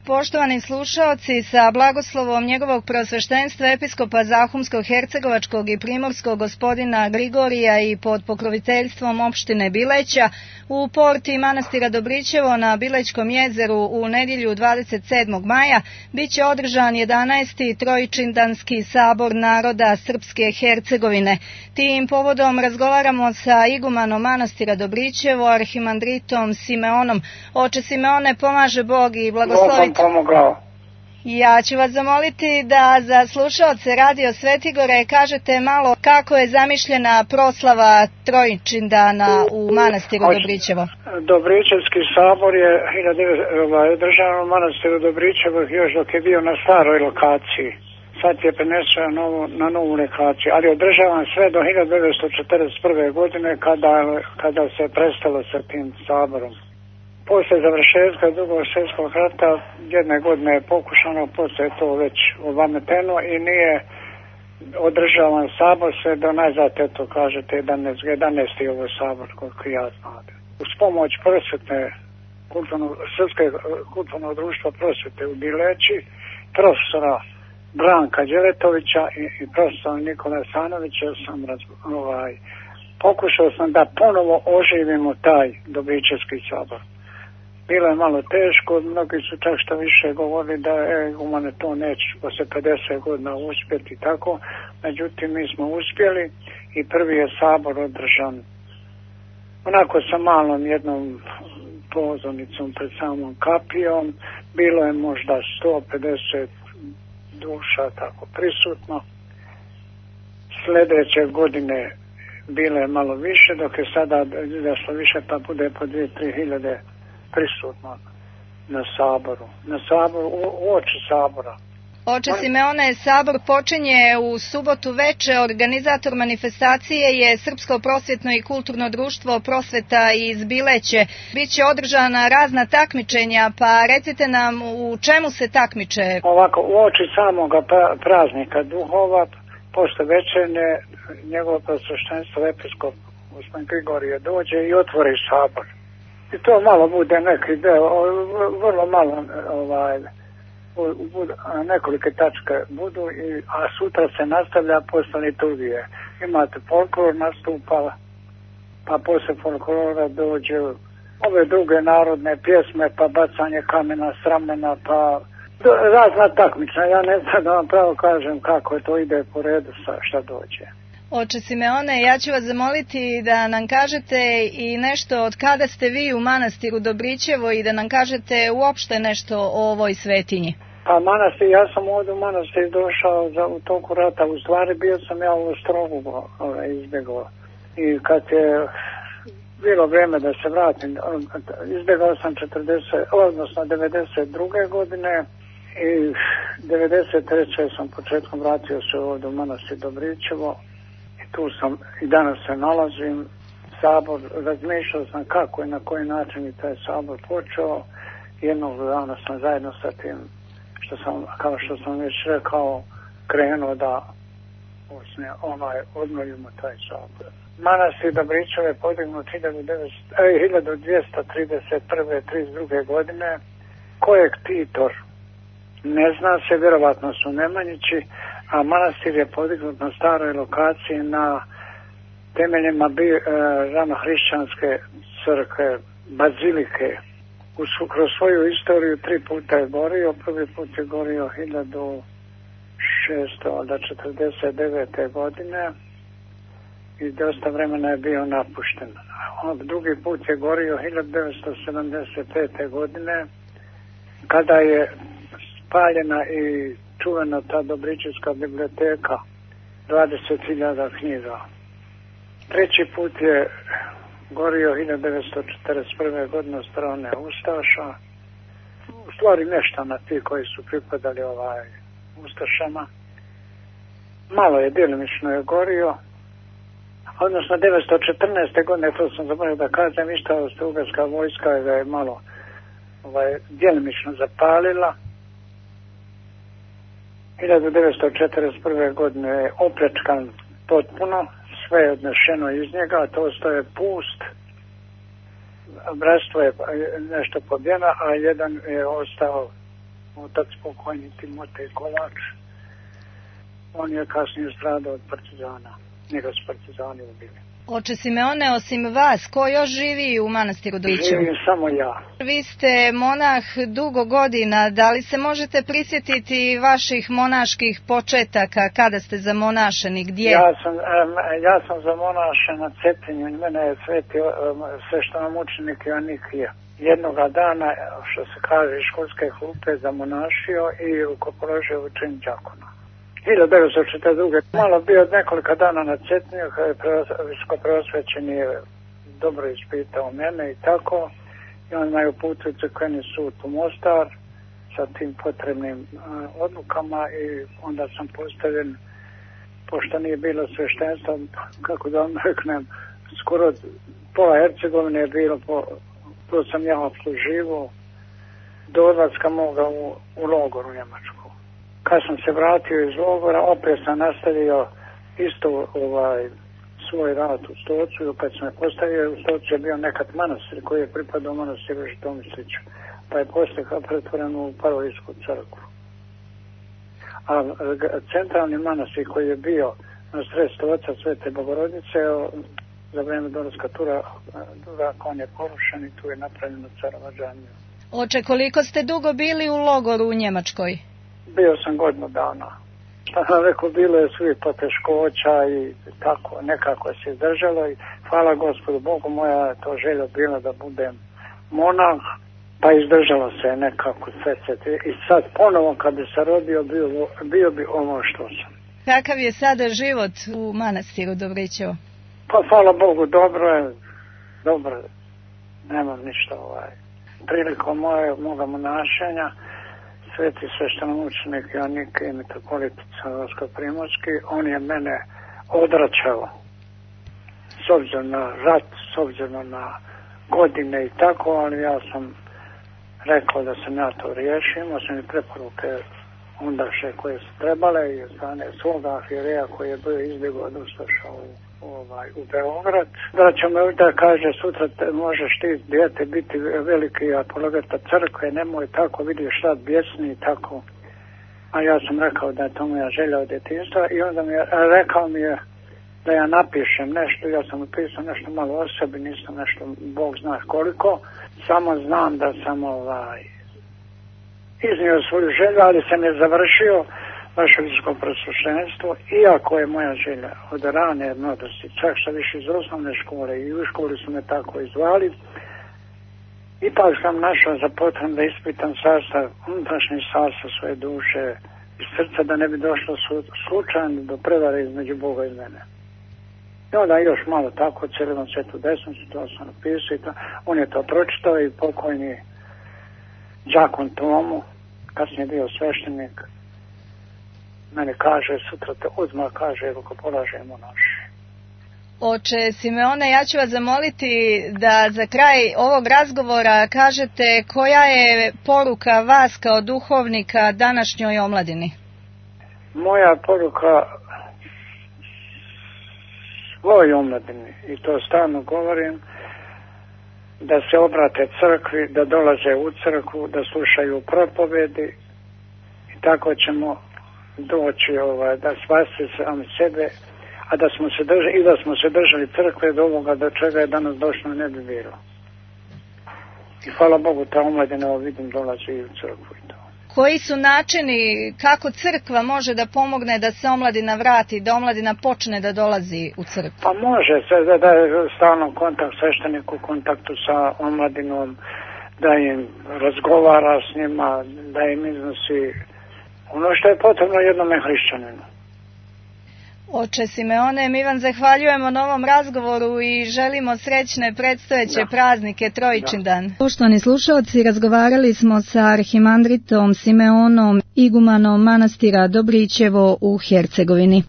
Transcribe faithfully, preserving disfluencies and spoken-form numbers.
Poštovani slušaoci, sa blagoslovom njegovog preosveštenstva episkopa Zahumsko-hercegovačkog i primorskog gospodina Grigorija i pod pokroviteljstvom opštine Bileća u porti manastira Dobrićevo na Bilećkom jezeru u nedjelju dvadeset sedmog maja bit će održan jedanaesti Trojičindanski sabor naroda Srpske Hercegovine. Tim povodom razgovaramo sa igumanom manastira Dobrićevo, arhimandritom Simeonom. Oče Simeone, pomaže Bog i blagoslovite. Pomogao. Ja ću vas zamoliti da za slušaoce Radio Svetigore kažete malo kako je zamišljena proslava Trojičindana u manastiru Dobrićevo. Dobrićevski sabor je održan u manastiru Dobrićevo još dok je bio na staroj lokaciji. Sad je prenesen na, na novu lokaciju, ali održavan sve do hiljadu devetsto četrdeset prve. godine kada, kada se prestalo sa tim saborom. Poslije završetka drugog svjetskog rata jedne godine je pokušano, poslije je to već obameteno i nije održavan sabor sve do najzad, eto kažete, jedanaesti ovo sabor koliko ja znam. Uz pomoć prosvetne, kulturno, Srpske kulturnog društva prosvete u Bileći, profesora Branka Đeletovića i, i profesora Nikola Sanovića sam raz, ovaj, pokušao sam da ponovo oživimo taj Dobrićevski sabor. Bilo je malo teško, mnogi su čak što više govorili da e, umane to neće posle pedeset godina uspjeti i tako, međutim mi smo uspjeli i prvi je sabor održan onako sa malom jednom pozornicom pred samom kapijom, bilo je možda sto pedeset duša tako prisutno. Sljedeće godine bilo je malo više, dok je sada izašlo više pa bude po dvije, tri hiljade prisutno na saboru, na saboru, u, u oči sabora. Oče Simeone, sabor počinje u subotu veče. Organizator manifestacije je Srpsko prosvjetno i kulturno društvo Prosveta iz Bileće. Biće održana razna takmičenja, pa recite nam u čemu se takmiče? Ovako, u oči samoga praznika duhova, posle večerne, njegovo prosveštenstvo episkop gospodin Grigorije dođe i otvori sabor. I to malo bude neki deo, vrlo malo, ovaj, budu, nekolike tačke budu, i, a sutra se nastavlja posle liturgije. Imate folklor nastupa, pa posle folklora dođe ove druge narodne pjesme, pa bacanje kamena, sramena, pa do, razna takmična. Ja ne znam da vam pravo kažem kako to ide po redu sa šta dođe. Oče Simeone, ja ću vas zamoliti da nam kažete i nešto od kada ste vi u manastiru Dobrićevo i da nam kažete uopšte nešto o ovoj svetinji. Pa manastir, ja sam ovdje u manastir došao za, u toku rata, u stvari bio sam ja u Ostrogu ovaj, izbjegao. I kad je bilo vrijeme da se vratim, izbjegao sam četrdeset, odnosno devedeset druge. godine i devedeset treće sam početkom vratio se ovdje u manastir Dobrićevo. Tu sam i danas se nalazim. Sabor, razmišljao sam kako i na koji način je taj sabor počeo. Jednog dana sam zajedno sa tim, što sam, kao što sam već rekao, krenuo da ovaj, odmojimo taj sabor. Manastir Dobrićevo je podignut hiljadu dvjesto trideset prve. trideset druge. godine. Kojeg titor ne zna se, vjerovatno su Nemanjići, a manastir je podignut na staroj lokaciji na temeljima bi, e, ranohrišćanske crkve, bazilike. Uz, kroz svoju istoriju tri puta je gorio. Prvi put je gorio hiljadu šesto četrdeset devete. godine i dosta vremena je bio napušten. Drugi put je gorio hiljadu devetsto sedamdeset pete. godine kada je spaljena i čuvena ta Dobrićevska biblioteka, dvadeset hiljada knjiga. Treći put je gorio hiljadu devetsto četrdeset prve. godine od strane Ustaša. U stvari neštana ti koji su pripadali ovaj Ustašama. Malo je, djelimično je gorio. Odnosno devetsto četrnaeste. godine, to sam zaboravio da kažem, išta Austro-Ugarska vojska ga je malo ovaj, djelimično zapalila. hiljadu devetsto četrdeset prve. godine je opljačkan potpuno, sve je odnešeno iz njega, to ostaje pust. Bratstvo je nešto pobjeno, a jedan je ostao otac pokojni Timotej Kovač. On je kasnije stradao od partizana. Njega su partizani ubili. Oče Simeone, osim vas, ko još živi u manastiru Dobrićevo? Živim samo ja. Vi ste monah dugo godina, da li se možete prisjetiti vaših monaških početaka, kada ste zamonašeni, gdje? Ja sam, ja sam zamonašen na Cetinju, mene je sveti sveštenomučenik Joannikija. Jednoga dana, što se kaže, školske klupe zamonašio i rukopoložio u čin đakona. hiljadu devetsto četrdeset druge. Malo bio nekoliko dana na Cetinju, kada je visokopreosvećeni dobro ispitao mene i tako. I on me uputio u crkveni sud u Mostar sa tim potrebnim uh, odlukama i onda sam postavljen, pošto nije bilo sveštenstva, kako da vam reknem, skoro pola Hercegovine je bilo, po, to sam ja obsluživo, do odlaska moga u, u logoru u Njemačku. Kad sam se vratio iz logora, opet sam nastavio isto ovaj, svoj rad u Stocu, kad sam je postavio, u Stocu je bio nekad manastir koji je pripadao manastiru Žitomisliću, pa je poslije pretvoren u Parovijsku crkvu. A centralni manastir koji je bio na sredstvu oca Svete Bogorodice, za vrijeme dolaska Tura, on je porušen i tu je napravljeno carova džamija. Oče, koliko ste dugo bili u logoru u Njemačkoj? Bio sam godinu dana. Šta sam rekao, bilo je svi poteškoća i tako, nekako se izdržalo i hvala Gospodu Bogu, moja to želja bila da budem monah, pa izdržalo se nekako sve se. I sad ponovo kad bi se rodio, bio, bio bi ovo što sam. Kakav je sada život u manastiru Dobrićevo? Pa hvala Bogu, dobro je, dobro, nemam ništa ovaj. Prilikom moje, moga monašenja, sveti sveštenomučenik Joannik i mitropolitica Vasko-Primorski, on je mene odraćao s obzirom na rat, s obzirom na godine i tako, ali ja sam rekao da sam ja to riješio, imao sam i preporuke ondaše koje su trebale i od strane svoga arhijereja koji je bio izbjegao od ustaša u, ovaj, u Beograd. Braćo me da kaže, sutra te, možeš ti dijete biti veliki apologeta crkve, nemoj tako, vidiš rad bjesni i tako. A ja sam rekao da je to moja želja od djetinjstva i onda mi je, rekao mi je da ja napišem nešto, ja sam napisao nešto malo o sebi, nisam nešto, Bog zna koliko, samo znam da sam ovaj, iznio svoju želju, ali sam je završio vaše visoko prosvjećenstvo, iako je moja želja od rane mladosti, čak što više iz osnovne škole i u školi su me tako izvali, ipak sam našao za potrebno da ispitam sastav, unutrašnji sastav svoje duše i srca, da ne bi došlo slučajno do prevare između Boga i mene. I onda još malo tako, Celivom svetu desnicu, to sam napisao i to, on je to pročitao i pokojni đakon Tomu, kasnije bio sveštenik, mene kaže, sutra te odmah kaže, ako polažemo naše. Oče Simeone, ja ću vas zamoliti da za kraj ovog razgovora kažete koja je poruka vas kao duhovnika današnjoj omladini? Moja poruka svoj omladini, i to stalno govorim, da se obrate crkvi, da dolaze u crkvu, da slušaju propovedi i tako ćemo doći ovaj, da spasiti sami sebe, a da smo se držali, i da smo se držali crkve do ovoga do čega je danas došlo ne bi bilo. I hvala Bogu, ta omladina, ovo vidim, dolazi i u crkvu i to. Koji su načini kako crkva može da pomogne da se omladina vrati, da omladina počne da dolazi u crkvu? Pa može se da, da je stalno kontakt sveštenik u kontaktu sa omladinom, da im razgovara s njima, da im iznosi ono što je potrebno jednome hrišćaninu. Oče Simeone, mi vam zahvaljujemo na ovom razgovoru i želimo srećne predstojeće da. praznike Trojičin da. dan. Poštovani slušalci, razgovarali smo sa arhimandritom Simeonom, igumanom manastira Dobrićevo u Hercegovini.